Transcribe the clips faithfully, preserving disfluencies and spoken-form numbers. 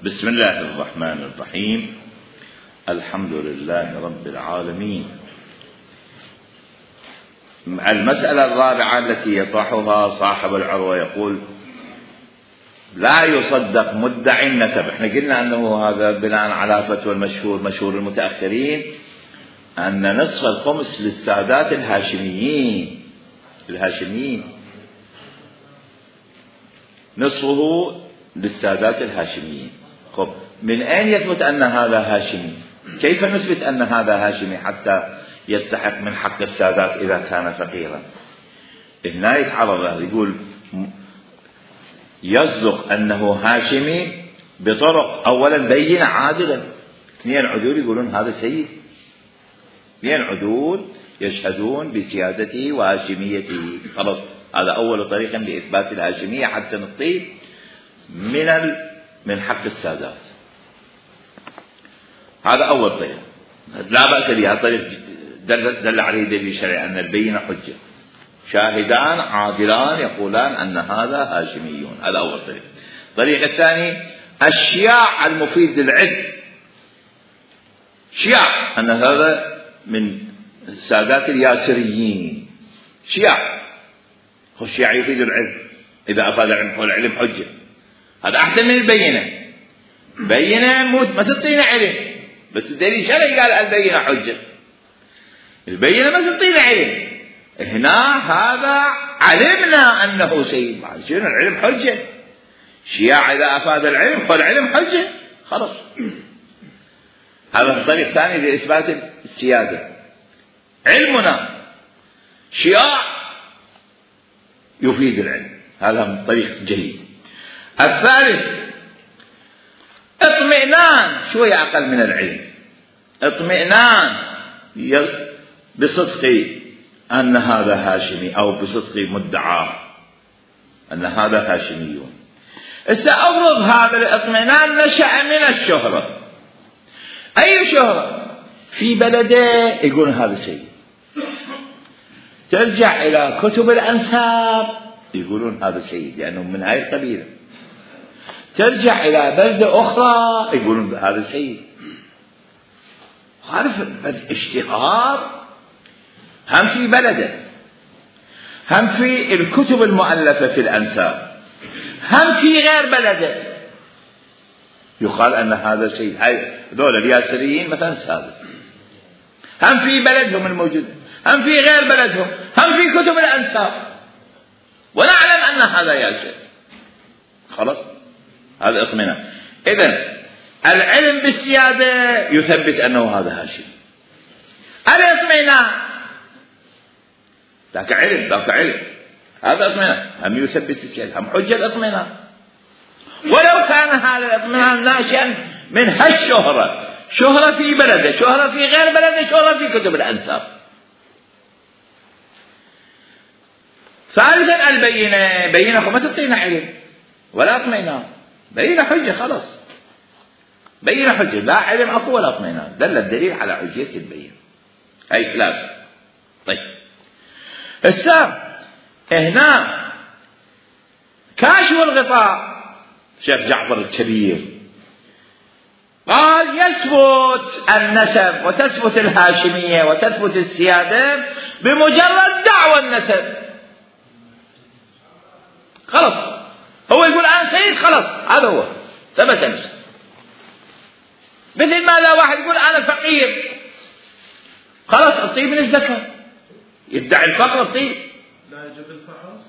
بسم الله الرحمن الرحيم. الحمد لله رب العالمين. المسألة الرابعة التي يطرحها صاحب العروة يقول: لا يصدق مدعي النسب. احنا قلنا انه هذا بناء على فتوى المشهور مشهور المتأخرين ان نصف الخمس للسادات الهاشميين الهاشميين نصفه للسادات الهاشميين. خب من اين يثبت ان هذا هاشمي؟ كيف نثبت ان هذا هاشمي حتى يستحق من حق السادات اذا كان فقيرا؟ هنا يتعرض يقول يصدق انه هاشمي بطرق اولا بينة عادلة. اثنين عدول يقولون هذا سيد، اثنين عدول يشهدون بسيادته وهاشميته. خلاص هذا اول طريق لاثبات الهاشمية حتى نطيب من ال... من حق السادات. هذا اول طريق لا بأس به. هذا طريق دل, دل عليه دليل شرعي ان البينة حجة. شاهدان عادلان يقولان ان هذا هاشميون. هذا اول طريق. الطريق الثاني الشياع المفيد للعلم. شياع ان هذا من السادات الياسريين. شياع الشياع يفيد العلم اذا افاد العلم والعلم حجة. هذا احسن من البينة. بينة موت ما تعطينا علم، بس الدليل شرعي قال البينة حجة. البينة ما تعطينا علم. هنا هذا علمنا انه سيد، شنو العلم حجة. شياع اذا افاد العلم فالعلم حجة خلاص. هذا الطريق الثاني لاثبات السيادة. علمنا شياع يفيد العلم، هذا طريق جيد. الثالث اطمئنان شوية اقل من العلم. اطمئنان بصدق أن هذا هاشمي أو بصدق مدعاه أن هذا هاشميون. سأفرض هذا الاطمئنان نشأ من الشهرة. أي شهرة؟ في بلده يقول هذا سيد. ترجع إلى كتب الأنساب يقولون هذا سيد لأنه من هاي القبيلة. ترجع إلى بلدة أخرى يقولون هذا سيد. هذا الاشتهار هم في بلده، هم في الكتب المؤلفة في الأنساب، هم في غير بلده يقال أن هذا سيد. هاي دول الياسريين مثلا سادة، هم في بلدهم الموجود، هم في غير بلدهم، هم في كتب الأنساب، ونعلم أن هذا ياسر. خلاص هذا اطمئنان. إذن العلم بالسيادة يثبت أنه هذا هاشم. الاطمئنان ذاك علم ذاك علم هذا اطمئنان هم يثبت السيادة، هم حجة الاطمئنان. ولو كان هذا الاطمئنان ناشئا من هالشهرة، شهرة في بلده، شهرة في غير بلده، شهرة في كتب الأنساب. ثالثا البينة. بينة ما تعطينا علم ولا اطمئنان. بينة حجة خلاص. بينة حجة لا علم اكو ولا اطمئنان. دل الدليل على حجية البينة. هاي ثلاثة. طيب السابع هنا كاشف الغطاء شيخ جعفر الكبير قال يثبت النسب وتثبت الهاشمية وتثبت السيادة بمجرد دعوى النسب. خلاص هو يقول أنا سيد خلاص هذا هو ثبت النسب. مثل ما لا واحد يقول أنا فقير خلاص أعطيه من الزكاة، يدعي الفقر أعطيه. لا يجب الفحص.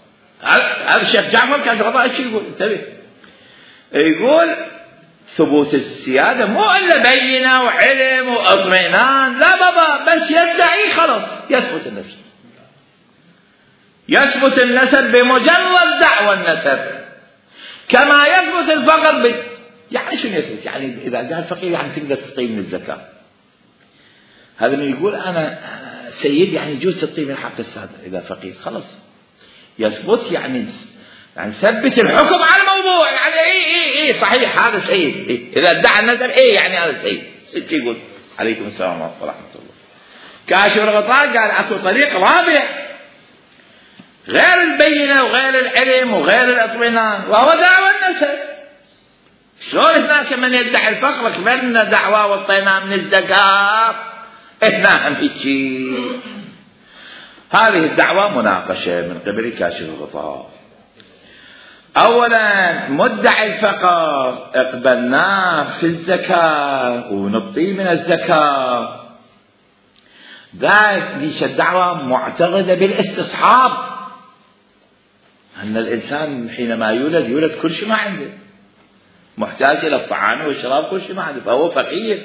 هذا الشيخ جعفر كان غطاء ايش يقول؟ انتبه. يقول ثبوت السيادة مو إلا بينة وعلم واطمئنان، لا بابا بس يدعي خلاص يثبت النسب. يثبت النسب بمجرد دعوى النسب كما يثبت الفقر ب... يعني شنو يثبت؟ يعني إذا قال فقير يعني تقدر تعطيه من الزكاة. هذا من يقول أنا سيد يعني يجوز تعطيه من حق السادة إذا فقير خلاص يثبت يعني يعني ثبت الحكم على الموضوع. يعني اي اي اي صحيح هذا سيد. إيه؟ اذا ادعى النسب اي يعني هذا سيد. ست يقول عليكم السلام ورحمه الله. كاشف الغطاء قال اكو طريق رابع غير البينه وغير العلم وغير الاطمئنان وهو دعوى النسب. شلون هناك من يدعي الفقر قبلنا دعوة وطينا من الزكاة، هنا هم هيجي. هذه الدعوة مناقشة من قبل كاشف الغطاء. أولا مدعي الفقر اقبلناه في الزكاة ونبطيه من الزكاة، ذلك ليش الدعوة معتقدة بالاستصحاب، أن الإنسان حينما يولد يولد كل شيء ما عنده، محتاج إلى الطعام والشراب كل شيء ما عنده، فهو فقير.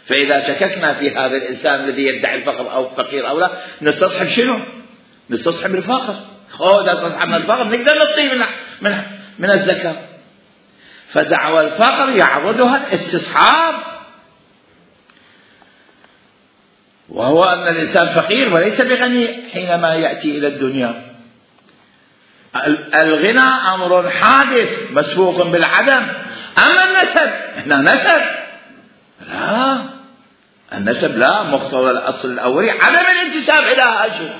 فإذا شككنا في هذا الإنسان الذي يدعي الفقر أو فقير أو لا، نستصحب شنو؟ نستصحب الفقر. خذ استصحب من الفقر نقدر نطيه من من من الزكاة. فدعوى الفقر يعرضها الاستصحاب، وهو أن الإنسان فقير وليس بغني حينما يأتي إلى الدنيا. الغنى أمر حادث مسبوق بالعدم. أما النسب، إحنا نسب لا، النسب لا، مقتضى الأصل الأولي عدم الانتساب إلى هاشم.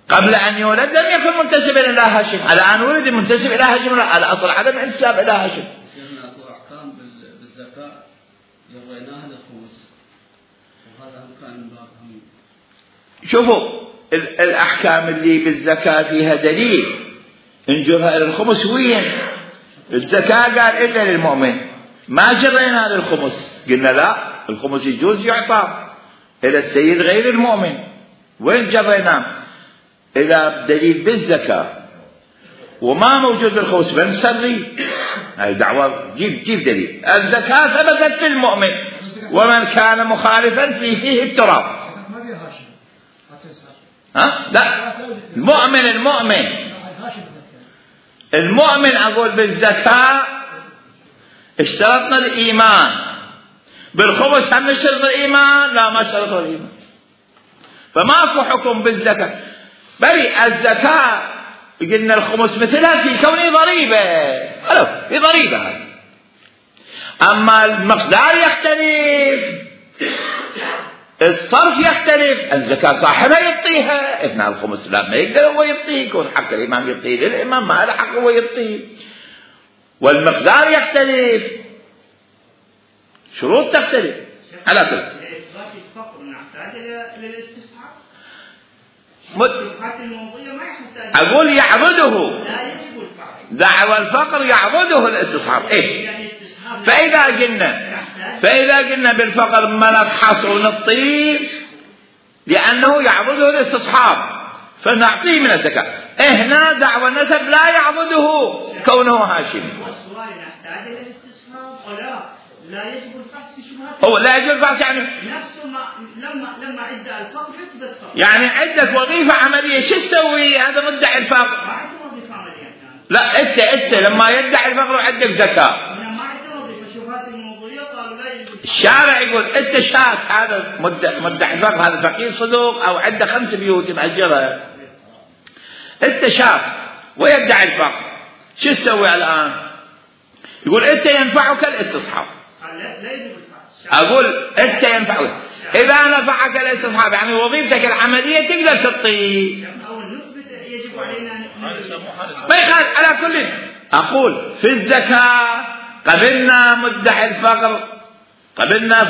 قبل أن يولد لم يكن منتسبا إلى هاشم، الآن ولد منتسب إلى هاشم، الأصل عدم الانتساب إلى هاشم. أكو أحكام بالزكاة جريناها للخمس، وهذا كان من باب هم. شوفوا الأحكام اللي بالزكاة فيها دليل انجرها إلى الخمس وين؟ الزكاة قال إلا للمؤمن، ما جرينا للخمس، قلنا لا، الخمس يجوز يعطى إلى السيد غير المؤمن، وين جرينا؟ إذا دليل بالزكاة وما موجود بالخمس بنسري، هاي دعوة جيب جيب دليل. الزكاة ثبتت في المؤمن، ومن كان مخالفا فيه فيه التراب. ها؟ لا، المؤمن المؤمن المؤمن أقول بالزكاة اشترطنا الإيمان، بالخمس هم نشترط الإيمان؟ لا، ما اشترطوا الإيمان، فماكو حكم بالزكاة. بل الزكاة قلنا الخمس مثلها في كونه ضريبة، حلو، في ضريبة هذه. أما المقدار يختلف، الصرف يختلف، الزكاة صاحبها يعطيها، إثناء الخمس لا ما يقدر هو يعطيه، يكون حق الإمام يعطيه للإمام، ما له حق هو يعطيه. والمقدار يختلف، شروط تختلف على كل. لإثبات الفقر نحتاج للاستصحاب. أقول يعبده، لا يجب الفقر، دعوى الفقر يعبده الاستصحاب. إيه؟ فإذا قلنا فإذا قلنا بالفقر ما نفحص ونطيه لأنه يعبده الاستصحاب فنعطيه من الزكاة. هنا دعوى النسب لا يعبده كونه هاشمي. والسؤال نحتاج للاستصحاب ولا لا يجب الفحص في شبهات؟ هو لا يجب الفحص يعني نفسه ما لما لما عدة الفقر يثبت فقر، يعني عدة وظيفة عملية. شو تسوي هذا مدعي الفقر؟ ما عنده وظيفة عملية. لا، أنت أنت لما يدعي الفقر وعندك زكاة، الشارع يقول انت شاك هذا مدعي الفقر، هذا فقير صدوق او عنده خمس بيوت مأجرها، انت شاك ويدعي الفقر، شو تسوي الان؟ يقول انت ينفعك الاستصحاب. اقول انت ينفعك، اذا نفعك الاستصحاب يعني وظيفتك العمليه تقدر تعطيه، ما يخالف. على كل اقول في الزكاه قبلنا مدعي الفقر، قبلنا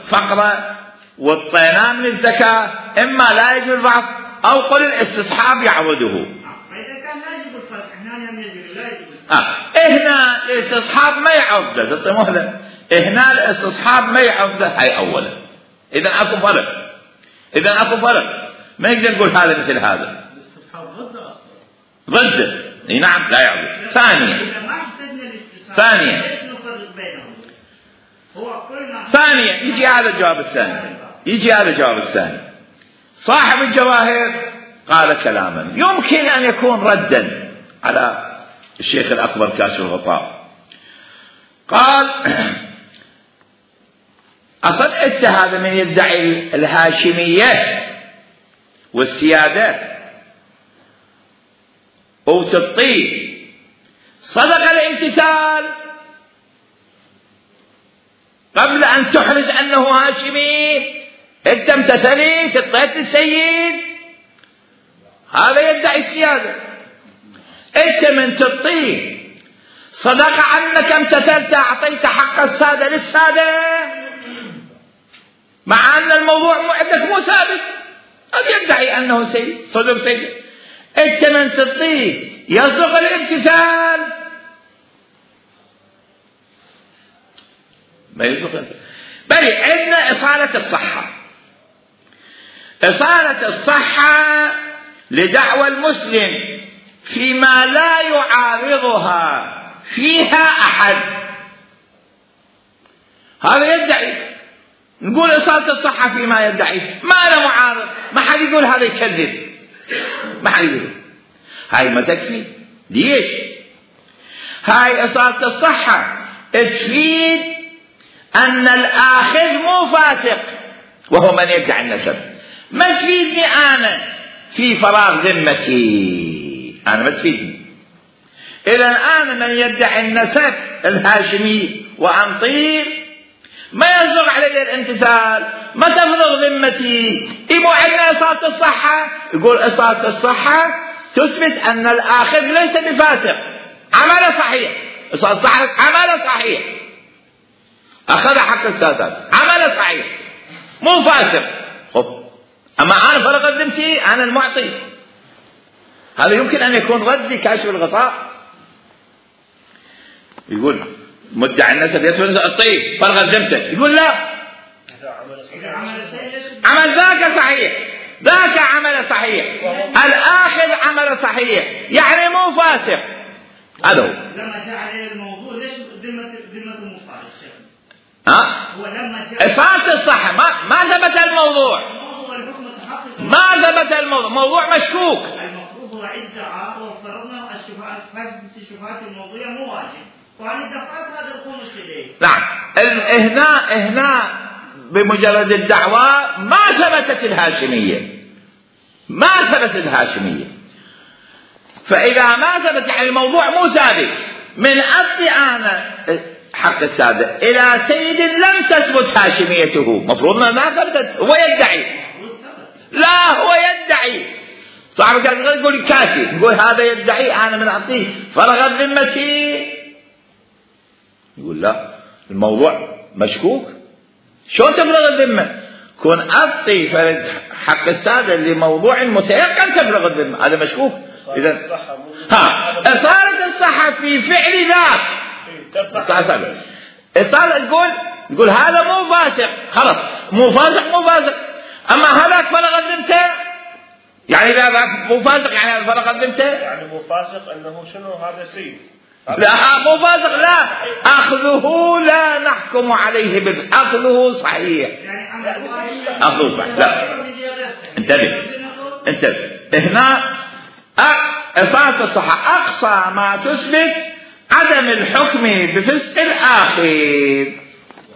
فقرة والطيناه من الزكاة، إما لا يجب الفحص أو قل الاستصحاب يعوده. فإذا كان لا يجب الفحص هنا هم يجب لا يجب آه. هنا الاستصحاب ما يعوده، تعطي مهلة. هنا الاستصحاب ما يعوده، هاي أولا. إذا أكو فرق، إذا أكو فرق ما نقدر نقول هذا مثل هذا. الاستصحاب ضد أصلا. ضده، اي نعم لا يعوده. ثانيا ثانيا ثانيا يجي هذا الجواب الثاني، يجي هذا الجواب الثاني. صاحب الجواهر قال كلاما يمكن أن يكون ردا على الشيخ الأكبر كاشف الغطاء. قال أصل أنت هذا من يدعي الهاشمية والسيادة وتطيع صدق الامتثال قبل أن تحرز أنه هاشمي، أنت امتثلت اطيت السيد، هذا يدعي السيادة. أنت من تطيع صدق عنك امتثلت أعطيت حق السادة للسادة، مع أن الموضوع عندك مو ثابت. قد يدعي أنه سيد صدق سيد، أنت من تعطيه يصدق الامتثال ما يصدق. بل عندنا إصالة الصحة. إصالة الصحة لدعوى المسلم فيما لا يعارضها فيها أحد. هذا يدعي، نقول إصالة الصحة فيما يدعي، ما له معارض، ما حد يقول هذا يكذب، ما حد يقول. هاي ما تكفي. ليش؟ هاي إصالة الصحة تفيد أن الآخذ مو فاسق وهو من يدعي النسب. ما تفيدني أنا في فراغ ذمتي، أنا ما تفيدني. إذا أنا من يدعي النسب الهاشمي وأنطير ما يصدق علي الامتثال، ما تفرغ ذمتي. إيمو عندنا إصالة الصحة، يقول إصالة الصحة تثبت أن الآخذ ليس بفاسق، عمله صحيح. إصالة الصحة عمله صحيح، أخذ حق السادات، عمله صحيح، مو فاسق. خب أما أنا فرغت ذمتي، أنا المعطي. هذا يمكن أن يكون ردي كاشف الغطاء. يقول مدعي النسب يثبت الطيب فرغت ذمته، يقول لا، عمل ذاك صحيح، ذاك عمل صحيح، الآخذ عمل صحيح، يعني مو فاسق. هذا هو. لما جاء عليه الموضوع ليش ذمة ذمة مو فاسق؟ ها؟ هو لما جاء إصالة الصحة ما ما ثبت الموضوع، ما ثبت الموضوع، موضوع مشكوك. المفروض هو ادعاء وافترضنا الشبهات، فاسد الشبهات الموضوعية مو واجب، وعن الدفعات هذا الخمس إليه. نعم. هنا هنا بمجرد الدعوة ما ثبتت الهاشمية، ما ثبتت الهاشمية. فإذا ما ثبت يعني الموضوع مو ثابت، من أصل أنا حق السادة إلى سيد لم تثبت هاشميته، مفروض ما ثبتت. هو يدعي، لا هو يدعي. صاحب كان يقول كافي، يقول هذا يدعي أنا من أعطيه فرغت ذمتي، يقول لا الموضوع مشكوك. شو تفرغ الذمة؟ كون أعطي فرد حق السادة لموضوع متيقن تفرغ الذمة، هذا مشكوك. إذا ها صارت الصحة في فعل ذاك، صار تقول تقول هذا مو فاسق، خلاص مو فاسق مو فاسق. أما هذاك فرغ ذمته، يعني إذا ذاك مو فاسق يعني هذا فرغ ذمته، يعني مو فاسق أنه شنو هذا سيد. لا مو فاسق، لا أخذه لا نحكم عليه بالأخذه صحيح، أخذه صحيح. لا انتبه انتبه هنا إصالة الصحة أقصى ما تثبت عدم الحكم بفسق الآخر،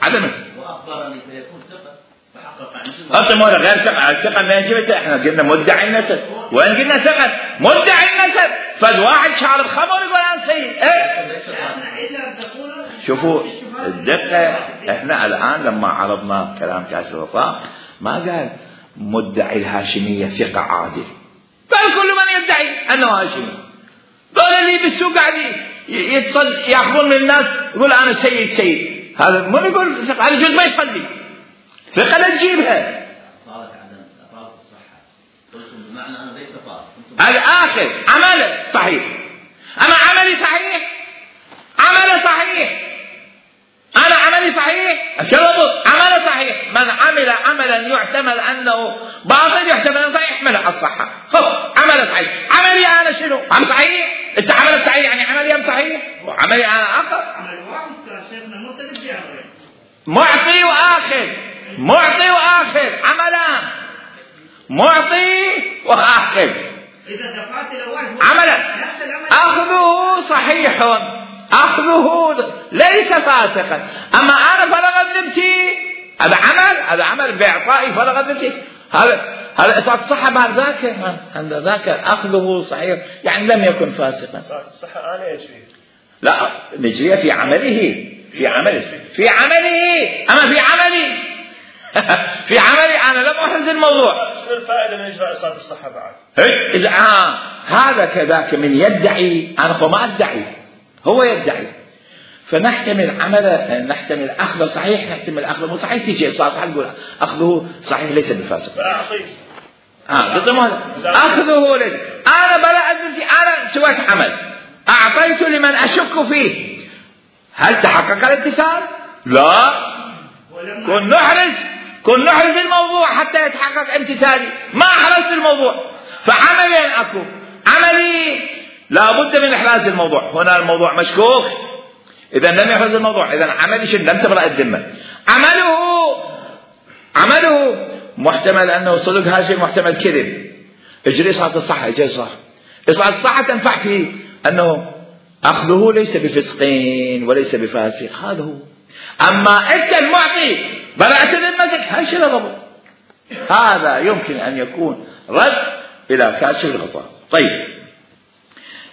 عدم. وأخبرني فيكون ثقة فحقق أصلا ولا غير ثقة، الثقة ما يجب. إحنا قلنا مدعي النسب، وإن قلنا ثقة مدعي النسب، فالواحد شارب خمر يقول أنا سيد. إيه؟ شوفوا الدقة. إحنا الآن لما عرضنا كلام كاشف الغطاء ما قال مدعي الهاشمية ثقة عادل، قال كل من يدعي أنه هاشمي. دول اللي بالسوق قاعدين يتصل يأخذون من الناس يقول أنا سيد سيد، هذا مو يقول ثقة، هذا جزء ما يصلي. ثقة لا تجيبها. أصالة عدم أصالة الصحة قلتم بمعنى أنا ليس فاسق. الآخر عمله صحيح، أنا عملي صحيح، عمله صحيح، أنا عملي صحيح، شرط عمله صحيح. من عمل عملا يحتمل أنه باطل يحتمل أنه صحيح يحمله الصحة. خب عمله صحيح، عملي أنا شنو؟ عم صحيح؟ أنت عملك صحيح يعني عملي أم صحيح؟ وعملي أنا آخر. معطي وآخر، معطي وآخر، عملان معطي وآخر. عملا أخذه صحيح، أخذه ليس فاسقا. أما أنا فرغت ذمتي، هذا عمل، هذا عمل بإعطائي فرغت ذمتي، هذا هذا إصابة الصحة بعد ذاك، عند ذاك أخذه صحيح يعني لم يكن فاسقا. الصحة أنا يجري، لا نجري في عمله، في عمله في عمله أما في عملي في عملي أنا لم أحرز الموضوع. شنو الفائدة من إجراء إصابة الصحة بعد؟ إذا آه هذا كذاك من يدعي، أنا ما أدعي، هو يدعي. فنحتمل عمل نحتمل أخذه صحيح، نحتمل أخذه مو صحيح، تيجي صالحة نقول أخذه صحيح ليس بفاسق. آه أخذه ليس. أنا برأت بنتي، أنا سويت عمل أعطيت لمن أشك فيه، هل تحقق الامتثال؟ لا. كن نحرز كن نحرز الموضوع حتى يتحقق امتثالي، ما أحرزت الموضوع. فعملين أكو، عملي لا بد من إحراز الموضوع، هنا الموضوع مشكوك، إذا لم يحرز الموضوع، إذا عملي شن لم تبرأ الذمة. عمله عمله محتمل أنه صدق هاشم، محتمل كذب، اجري صلاة الصحة، اجري صح صلاة الصحة تنفع فيه أنه أخذه ليس بفسقين وليس بفاسق، هذا هو. أما أنت المعطي برأت ذمتك، هاي شيء ضبط، هذا يمكن أن يكون رد إلى كاشف الغطاء. طيب،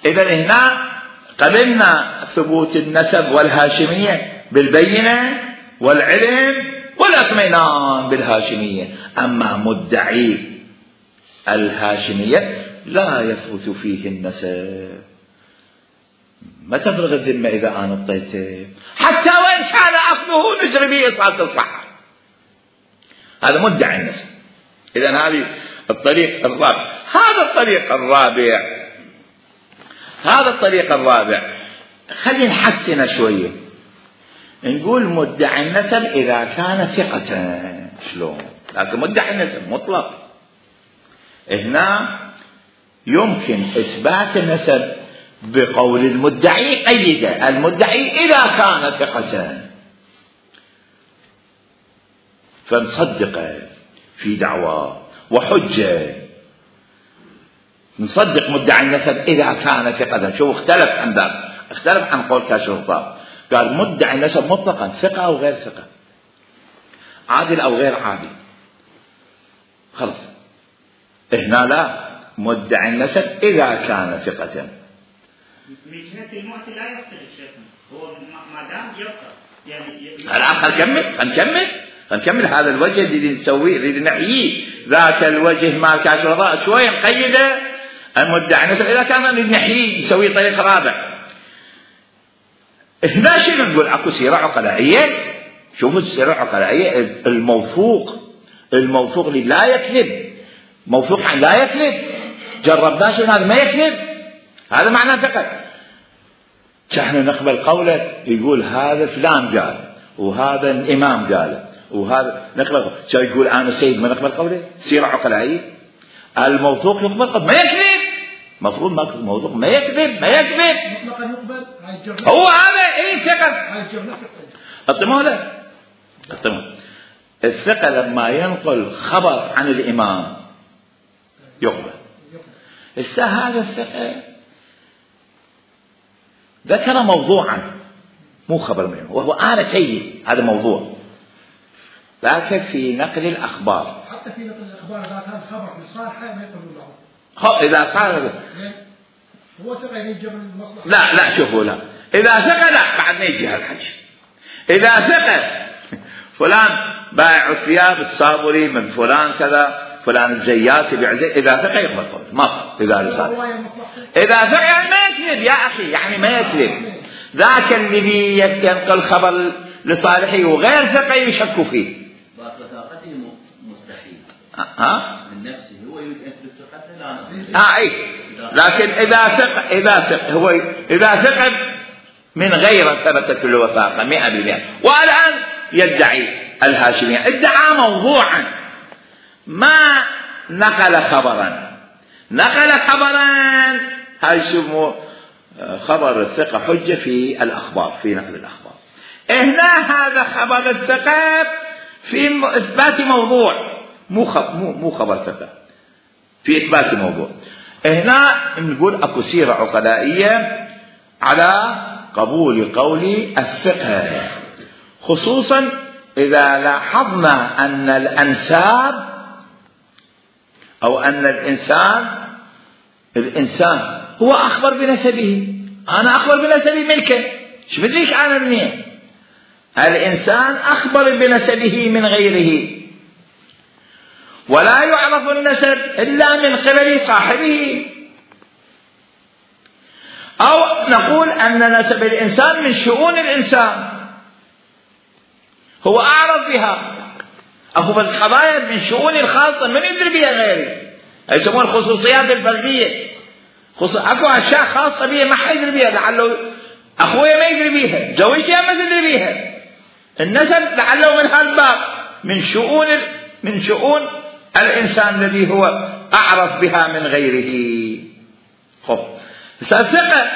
إذا هنا قبلنا ثبوت النسب والهاشمية بالبينة والعلم والاطمئنان بالهاشمية. أما مدعي الهاشمية لا يثبت فيه النسب، ما تفرغ الذمة إذا أنا اعطيته، حتى وإن كان أخذه نجري به صلاة الصحة، هذا مدعي النسب. إذا هذه الطريق الرابع. هذا الطريق الرابع هذا الطريق الرابع خلينا نحسن شوية، نقول مدعي النسب إذا كان ثقة. شلون؟ لكن مدعي النسب مطلق، هنا يمكن إثبات النسب بقول المدعي قيده، المدعي إذا كان ثقة فنصدقه في دعوة وحجة، نصدق مدعي النسب إذا كان ثقة. شوف اختلف عن ذلك، اختلف عن قول كاشف الغطاء، قال مدعي النسب مطلقا ثقة أو غير ثقة، عادل أو غير عادل، خلص. هنا لا، مدعي النسب إذا كان ثقة. من جهة المعطي لا يختلف شيخنا، هو ما دام يبقى يعني الآن خلينا نكمل خلينا نكمل خلينا نكمل هذا الوجه اللي نسويه اللي نحييه، ذاك الوجه مال كاشف الغطاء شوية نقيده. المدعي النسب إذا كان نحييه نسويه طريق رابع. هنا شنو نقول؟ اكو سيرة عقلائية. شوفوا السيرة العقلائية، الموثوق الموثوق اللي لا يكذب، موثوق عن لا يكذب، جربناه شنو هذا ما يكذب، هذا معناه ثقة. نحن نقبل قوله، يقول هذا فلان قال وهذا الإمام قال وهذا نقبل. شو يقول أنا السيد ما نقبل قوله؟ سيرة عقلائية. الموثوق يقبل قبل ما يكذب، مفروض ما الموثوق ما يكذب ما يكذب مطلقا يقبل. هو هذا اي ثقة. اطمئنوا له اطمئنوا. الثقة لما ينقل خبر عن الإمام يقبل. السا هذا الثقة ذكر موضوعا مو خبر منه، وهو أنا سيد، هذا موضوع، لكن في نقل الأخبار، حتى في نقل الأخبار إذا كان خبر في صالحة ما يقبلون له. خ إذا صار هو ثقة يجب المصلحة. لا لا شوفوا لا، إذا ثقة لا بعد ما يجي هالحكي. إذا ثقة فلان بايع الثياب الصابري من فلان كذا، فلان الزيات بيعزي، إذا ثقة يقبل قول ما إذا رسالة. إذا ثقة يعني ما يكذب يا أخي، يعني ما يكذب. ذاك اللي بينقل خبر لصالحه وغير ثقة يشك فيه. وثاقته مستحيل. ها؟ من نفسه هو يريد أن يثبت ثقته لا. آه أي. لكن إذا ثقة إذا ثقة هو إذا ثقة من غير ثبتت الوثاقة مئة بالمئة. والآن يدعي الهاشمية، ادعى موضوعا ما نقل خبرا، نقل خبرا هاي يسموه خبر الثقة حجة في الأخبار، في نقل الأخبار. هنا هذا خبر الثقة في إثبات موضوع، مو مو مو خبر ثقة في إثبات موضوع. هنا نقول أكو سيرة عقلائية على قبول قول الثقة، خصوصا إذا لاحظنا أن الأنساب أو أن الإنسان الإنسان هو أخبر بنسبه. أنا أخبر بنسبي منك، شو بديك أنا منين؟ الإنسان أخبر بنسبه من غيره، ولا يعرف النسب إلا من قبل صاحبه. أو نقول أن نسب الإنسان من شؤون الإنسان هو أعرف بها. أكو القضايا من شؤون الخاصة من يدري بها غيري، يسمون الخصوصيات الفردية. أكو أشياء خاصة بها ما حيدري بها، لعله أخويا ما يدري بها، زوجتي ما تدري بها. النسب لعله من هالباب من شؤون من شؤون الإنسان الذي هو أعرف بها من غيره. خب ثقة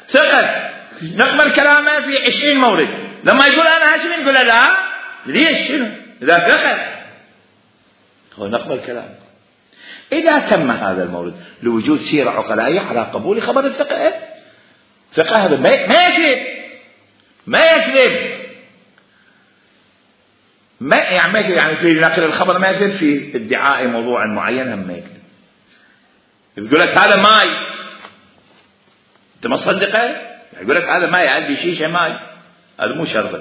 ثقة نقبل كلامه في عشرين مورد، لما يقول أنا هاشمي نقول لا ليش شنو إذا ثقة هو نقبل كلامه. إذا تم هذا المورد لوجود سيرة عقلائية على قبول خبر الثقة، ثقة هذا ما يكذب ما يكذب ما يعني ما يكذب، يعني في نقل الخبر ما يكذب، في ادعاء موضوع معين هم ما يكذب. يقول لك هذا ماي انت ما تصدقه، يقول لك هذا ماي عندي شيشه ماي، هذا مو شرط.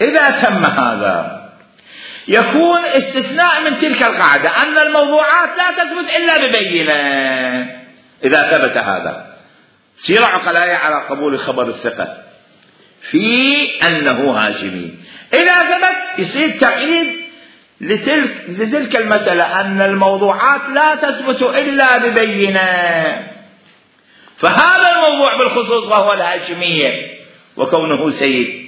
اذا تم هذا يكون استثناء من تلك القاعده ان الموضوعات لا تثبت الا ببينه. اذا ثبت هذا سيرة عقلائية على قبول خبر الثقة في انه هاشمي، اذا ثبت يصير تقييد لتلك, لتلك المسألة أن الموضوعات لا تثبت إلا ببينة. فهذا الموضوع بالخصوص وهو الهاشمية وكونه سيد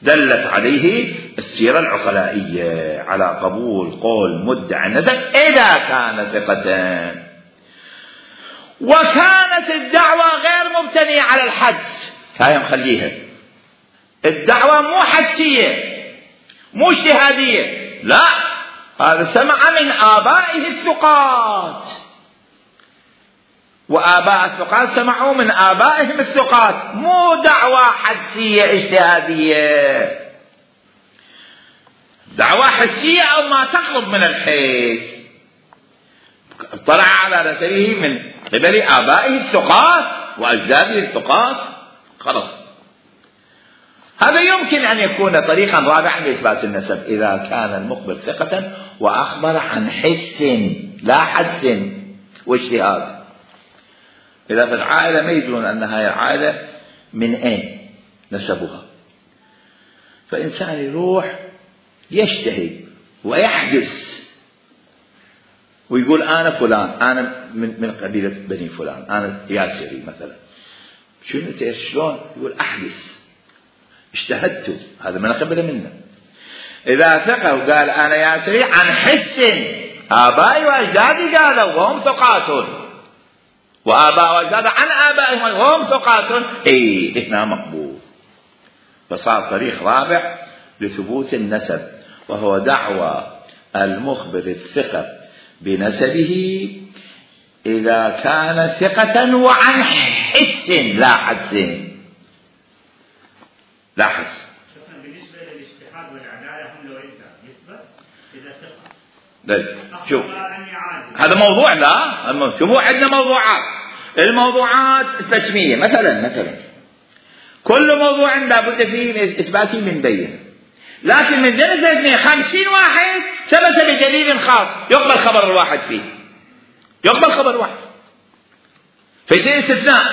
دلت عليه السيرة العقلائية على قبول قول مدعي النسب إذا كان ثقة، وكانت الدعوة غير مبتنية على الحدس. هاي مخليها الدعوة مو حدسية مو اجتهادية، لا، هذا سمع من آبائه الثقات، وآباء الثقات سمعوا من آبائهم الثقات، مو دعوة حدسية اجتهادية. دعوة حسية أو ما تقرب من الحس، اطلع على نسبه من قبل آبائه الثقات وأجداده الثقات، خلاص. هذا يمكن أن يكون طريقا رابعا لإثبات النسب إذا كان المخبر ثقة وأخبر عن حس لا حدس واجتهاد. إذا في العائلة ما يدرون أن هذه العائلة من أين نسبها، فإنسان يروح يجتهد ويحدث ويقول أنا فلان، أنا من من قبيلة بني فلان، أنا ياسري مثلا. شنو شلون؟ يقول أحدث اجتهدت، هذا من قبل منا. إذا ثقة وقال أنا ياسري عن حس، آبائي وأجدادي قالوا وهم ثقات، وآباء وأجداد عن آبائهم وهم ثقات، إيه هنا مقبول. فصار طريق رابع لثبوت النسب، وهو دعوى المخبر الثقة بنسبه إذا كان ثقة وعن حس لا حدس. لاحظ بالنسبة للاجتهاد والعدالة هم لو يثبت إذا ثقة. شوف هذا موضوع، لا شوفوا عندنا موضوعات، الموضوعات التسمية مثلا مثلا كل موضوع لابد فيه من إثباته من بينه، لكن من جنس خمسين واحد ثبت بدليل خاص يقبل خبر الواحد فيه، يقبل خبر الواحد، فيصير استثناء.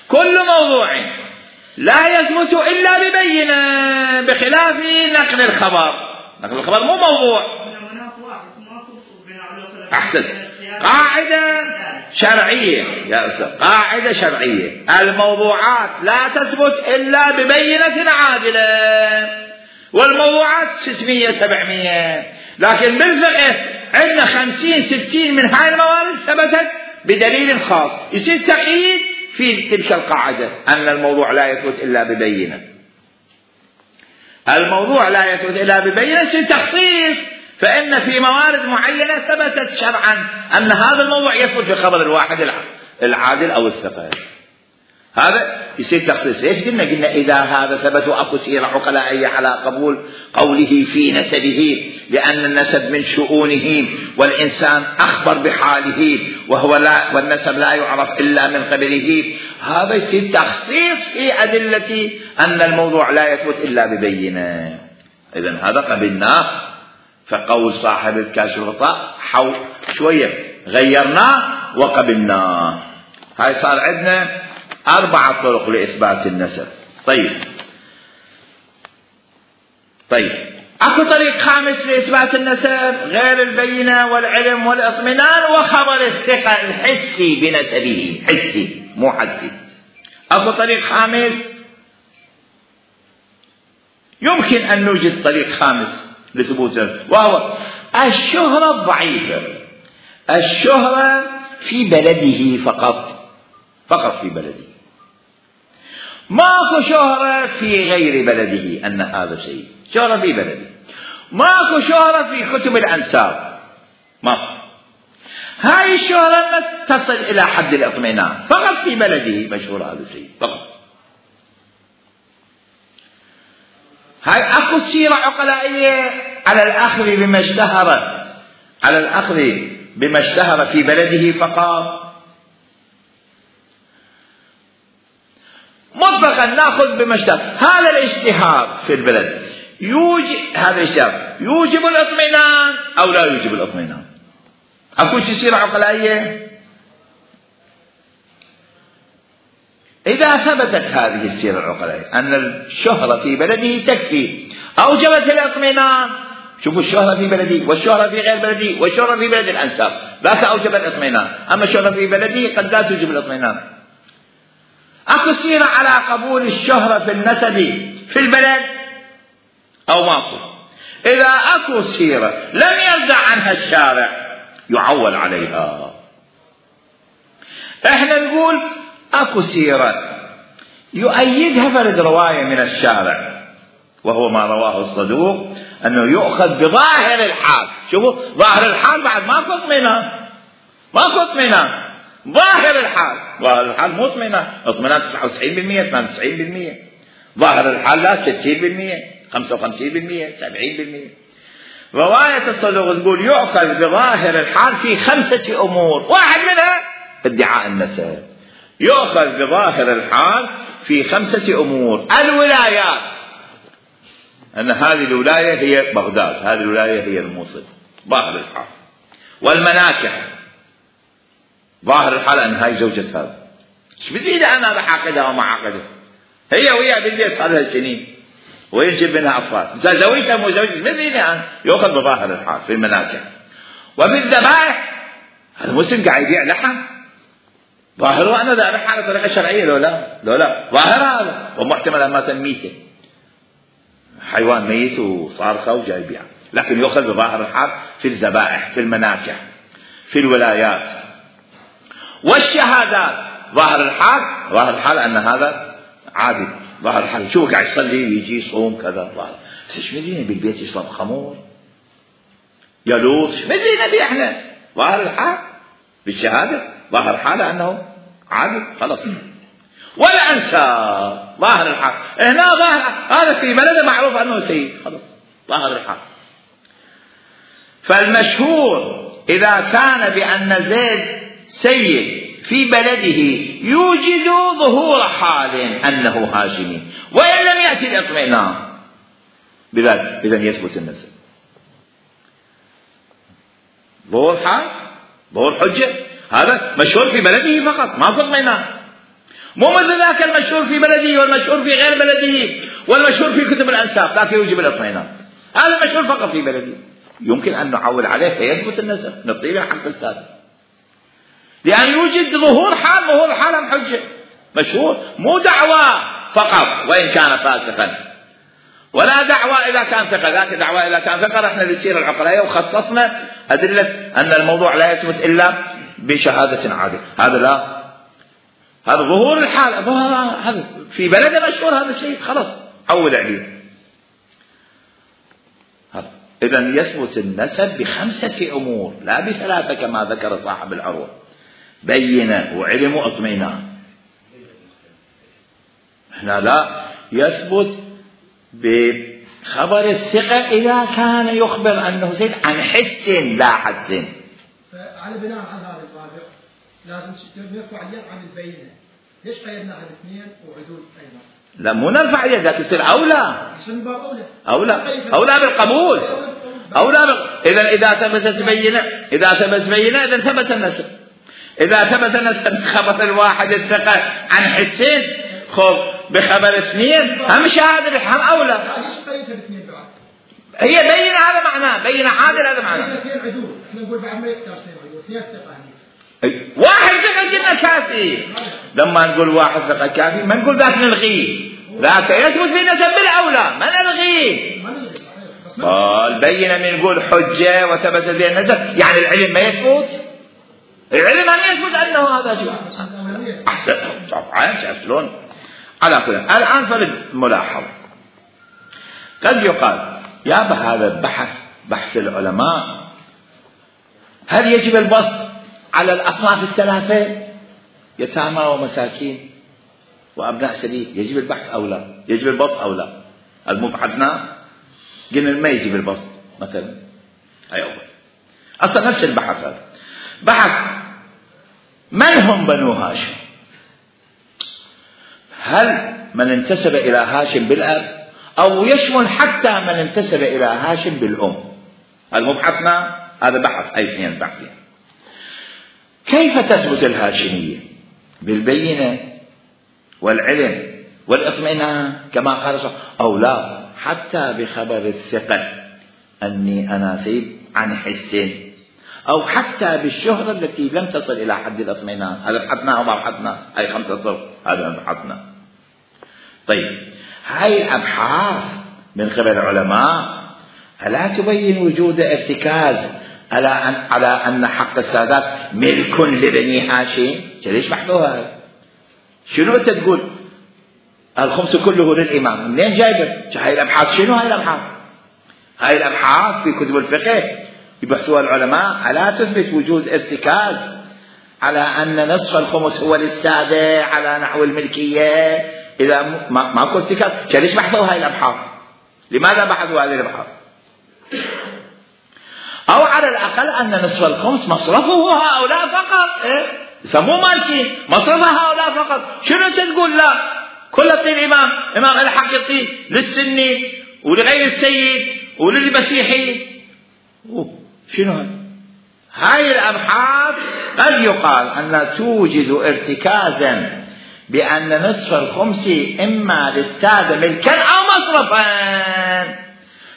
كل موضوع لا يثبت إلا ببينة، بخلاف نقل الخبر. نقل الخبر مو موضوع. أحسن، قاعدة شرعية يا أستاذ، قاعدة شرعية، الموضوعات لا تثبت إلا ببينة عادلة، والموضوعات ستمية سبعمية، لكن بالفقه عندنا خمسين ستين من هاي الموارد ثبتت بدليل خاص، يصير تقييد في تلك القاعدة أن الموضوع لا يثبت إلا ببينة. الموضوع لا يثبت إلا ببينة يصير تخصيص، فإن في موارد معينة ثبتت شرعا أن هذا الموضوع يثبت في خبر الواحد العادل أو الثقة، هذا يصير تخصيص. ليش قلنا؟ قلنا إذا هذا ثبت وأكو سيرة عقلائية على قبول قوله في نسبه، لأن النسب من شؤونه والإنسان أخبر بحاله وهو لا، والنسب لا يعرف إلا من قبله، هذا يصير تخصيص في أدلة أن الموضوع لا يثبت إلا ببينة. إذن هذا قبلناه، فقول صاحب الكاشف الغطاء حو شوية غيرناه وقبلناه. هاي صار عندنا أربعة طرق لإثبات النسب. طيب طيب اكو طريق خامس لإثبات النسب غير البينة والعلم والاطمئنان وخبر الثقة الحسي بنسبه، حسي مو حسي. اكو طريق خامس، يمكن ان نوجد طريق خامس لثبوت وهو الشهرة الضعيفة، الشهرة في بلده فقط، فقط في بلده، ماكو شهرة في غير بلده أن هذا شيء، شهرة في بلده، ماكو شهرة في كتب الأنساب، ماكو. هاي الشهرة ما تصل إلى حد الاطمئنان، فقط في بلده مشهور هذا الشيء فقط. هاي أكو سيرة عقلائية على الأخذ بما اشتهر، على الأخذ بما اشتهر في بلده فقط، مطلقا ناخذ بما اشتهر. هذا الاشتهار في البلد يوجب، هذا الاشتهار يوجب الاطمئنان او لا يوجب الاطمئنان؟ اكو سيرة عقلائية. اذا ثبتت هذه السيرة العقلائية ان الشهرة في بلده تكفي اوجبت الاطمئنان، شوفوا الشهرة في بلده والشهرة في غير بلده والشهرة في بلد الانساب ذاك اوجب الاطمئنان، اما الشهرة في بلده قد لا توجب الاطمئنان. اكو سيرة على قبول الشهرة في النسب في البلد او ماكو؟ اذا اكو سيرة لم يرجع عنها الشارع يعول عليها. احنا نقول اكو سيرة يؤيدها فرد رواية من الشارع وهو ما رواه الصدوق انه يؤخذ بظاهر الحال. شوفوا ظاهر الحال بعد ماكو اطمئنان، ماكو اطمئنان، ظاهر الحال، ظاهر الحال مو اطمئنان، اطمئنان تسعة وتسعين بالمئة ثمانية وتسعين بالمئة، ظاهر الحال لا ستين بالمئة خمسة وخمسين بالمئة سبعين بالمئة. رواية الصدوق تقول يؤخذ بظاهر الحال في خمسة امور، واحد منها ادعاء النسب، يؤخذ بظاهر الحال في خمسة امور. الولايات، ان هذه الولاية هي بغداد، هذه الولاية هي الموصل، ظاهر الحال. والمناكح، ظاهر الحال ان هاي زوجة هذا، ايش بدي انا بحاقدها وما عقدها، هي ويا بالبيت صار لها سنين وينجب منها اطفال، اذا زوجتها مو زوجتها بدي انا، يؤخذ بظاهر الحال في المناكح. وفي الذبائح، هذا مسلم قاعد يبيع لحم، ظاهره انا ذابح على طريقه شرعيه لو لا، لو لا ظاهر هذا، ومحتمل ان مات ميته، حيوان ميت وصارخه وجاي يبيع، لكن يؤخذ بظاهر الحال في الذبائح، في المناكح، في الولايات. والشهادات، ظاهر الحال، ظاهر الحال ان هذا عادي، ظاهر الحال شو قاعد يصلي ويجي يصوم كذا، ظاهر. بس ايش مدري بالبيت يشرب خمور يلوط، ايش مدري نبي احنا، ظاهر الحال بالشهاده، ظاهر الحال انه عادي خلاص. والانساب، ظاهر الحال هنا، ظاهر هذا في بلده معروف انه سيد، خلاص ظاهر الحال. فالمشهور اذا كان بان زيد سيد في بلده يوجد ظهور حال أنه هاشمي، وإن لم يأتي الاطمئنان بذلك إذن يثبت النسب. ظهور حال، ظهور حجة، هذا مشهور في بلده فقط، ما في اطمئنان. مو مثل ذاك المشهور في بلده والمشهور في غير بلده والمشهور في كتب الأنساب ذاك يوجب الاطمئنان. هذا المشهور فقط في بلده، يمكن أن نعول عليه فيثبت النسب، نطيله حق السادة، لأن يوجد ظهور حال، ظهور حال حجة، مشهور، مو دعوى فقط وإن كان فاسقا، ولا دعوى إذا كان ثقة، ذاك دعوى إذا كان ثقة. رحنا للسيرة العقلائية وخصصنا أدلة أن الموضوع لا يثبت إلا بشهادة عادلة، هذا لا، هذا ظهور الحال، هذا في بلده مشهور هذا الشيء، خلاص عول عليه. إذن يثبت النسب بخمسة أمور لا بثلاثة كما ذكر صاحب العروة، بينة وعلم واطمئنان. هنا لا يثبت بخبر الثقة إذا كان يخبر أنه زيد عن حس لا حس. على بناء على هذا الرابع لازم نرفع اليد عن البينة. ليش قيدنا على الاثنين وعدول أيضا؟ لا مو نرفع اليد، ذاك يصير أولى، أولى أولى أولى بالقبول، أولى بال... إذا إذا ثبتت بينة، إذا ثبت بينة إذا ثبت النسب. إذا ثبت أن خبر الواحد الثقة عن حسين خب بخبر اثنين هم شهادة هم أولى. هي بين هذا معناه بين عادل هذا معناه. احنا نقول بعد ما يختار اثنين عدول اثنين ثقة. واحد ثقة قلنا كافي. لما نقول واحد ثقة كافي ما نقول ذاك نلغيه. ذاك يثبت في نسب بالأولى ما نلغيه. البينة من نقول حجة وثبت في النسب يعني العلم ما يثبت. العلم ما يثبت أنه هذا شيء. أحسن طبعا شلون على كل. الآن فالملاحظة قد يقال يا بهذا البحث بحث العلماء هل يجب البسط على الأصناف الثلاثة يتامى ومساكين وأبناء سبيل يجب البحث أو لا يجب البسط أو لا؟ المبحثنا قلنا ما يجب البسط مثلا هاي أول. أصلا نفس البحث هذا بحث من هم بنو هاشم؟ هل من انتسب إلى هاشم بالأب أو يشمل حتى من انتسب إلى هاشم بالأم؟ المبحثنا هذا بحث أي اثنين بحثين. كيف تثبت الهاشمية؟ بالبينة والعلم والإطمئنان كما قال صلى أو لا حتى بخبر الثقة أني أنا سيد عن حسين أو حتى بالشهرة التي لم تصل إلى حد الإطمئنان. هذا بحثنا أو ما بحثنا أي خمسة صفر هذا بحثنا. طيب هاي الأبحاث من قبل العلماء ألا تبين وجود ارتكاز على أن, على أن حق السادات ملك لبني هاشم؟ ليش بحثوها؟ شنو أنت تقول الخمس كله للإمام؟ منين جايبه؟ هاي الأبحاث شنو هاي الأبحاث؟ هاي الأبحاث في كتب الفقه يبحثوها العلماء ألا تثبت وجود ارتكاز على أن نصف الخمس هو للسادة على نحو الملكية؟ إذا ما ماكو ارتكاز ليش بحثوا هاي الأبحاث؟ لماذا بحثوا هذه الأبحاث؟ أو على الأقل أن نصف الخمس مصرفه هؤلاء فقط. إيه؟ يسموه مالكي مصرفه هؤلاء فقط. شنو تقول لا كل طين إمام إمام الحق يعطيه للسني ولغير السيد وللمسيحي؟ شنو هاي؟ هاي الأبحاث قد يقال أن توجد ارتكازا بأن نصف الخمس إما للسادة ملكا أو مصرفا،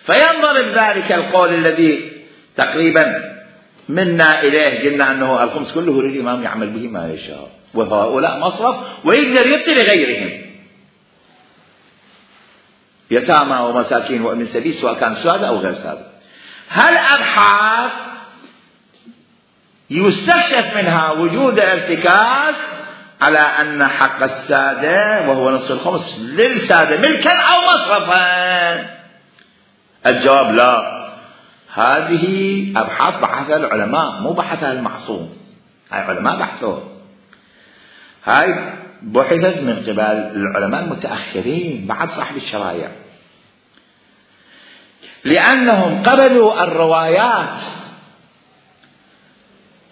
فينضرب ذلك القول الذي تقريبا منا إليه قلنا أنه الخمس كله للإمام يعمل به ما يشاء وهؤلاء مصرف ويقدر يعطي لغيرهم يتامى ومساكين وابن سبيل سواء كان سادة أو غير سادة. هالأبحاث يستكشف منها وجود ارتكاز على أن حق السادة وهو نصف الخمس للسادة ملكا أو مصرفا. الجواب لا. هذه أبحاث بحثها العلماء مو بحثها المعصوم. هاي علماء بحثوها. هاي بحثت من قبل العلماء المتأخرين بعد صاحب الشرائع لأنهم قبلوا الروايات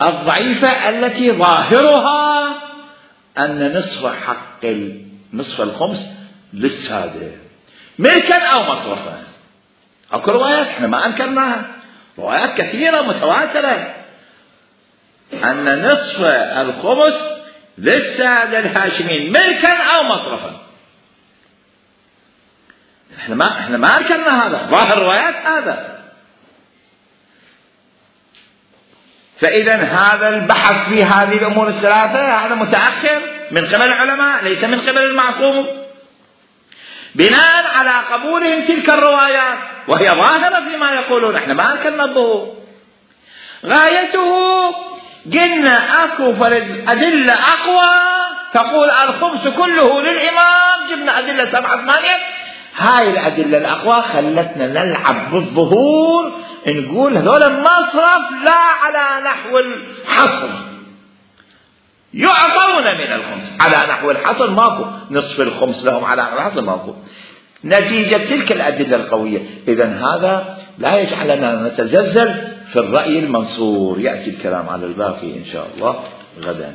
الضعيفة التي ظاهرها أن نصف حق نصف الخمس للسادة ملكا أو مصرفا. أكو روايات احنا ما أنكرناها روايات كثيرة متواترة أن نصف الخمس للسادة الهاشمين ملكا أو مصرفا. احنا ما احنا ما أنكرنا هذا ظاهر روايات هذا. فإذا هذا البحث في هذه الأمور الثلاثة هذا متأخر من قبل العلماء ليس من قبل المعصوم بناء على قبولهم تلك الروايات وهي ظاهرة فيما يقولون. احنا ما أنكرنا الظهور. غايته قلنا أكو فرد أدلة أقوى تقول الخمس كله للإمام جبنا أدلة سبعة ثمانية. هاي الأدلة الأقوى خلتنا نلعب بالظهور نقول هذول المصرف لا على نحو الحصر يعطون من الخمس على نحو الحصر ماكو نصف الخمس لهم على نحو الحصر ماكو نتيجة تلك الأدلة القوية. إذن هذا لا يجعلنا نتزلزل في الرأي المنصور. يأتي الكلام على الباقي إن شاء الله غدا.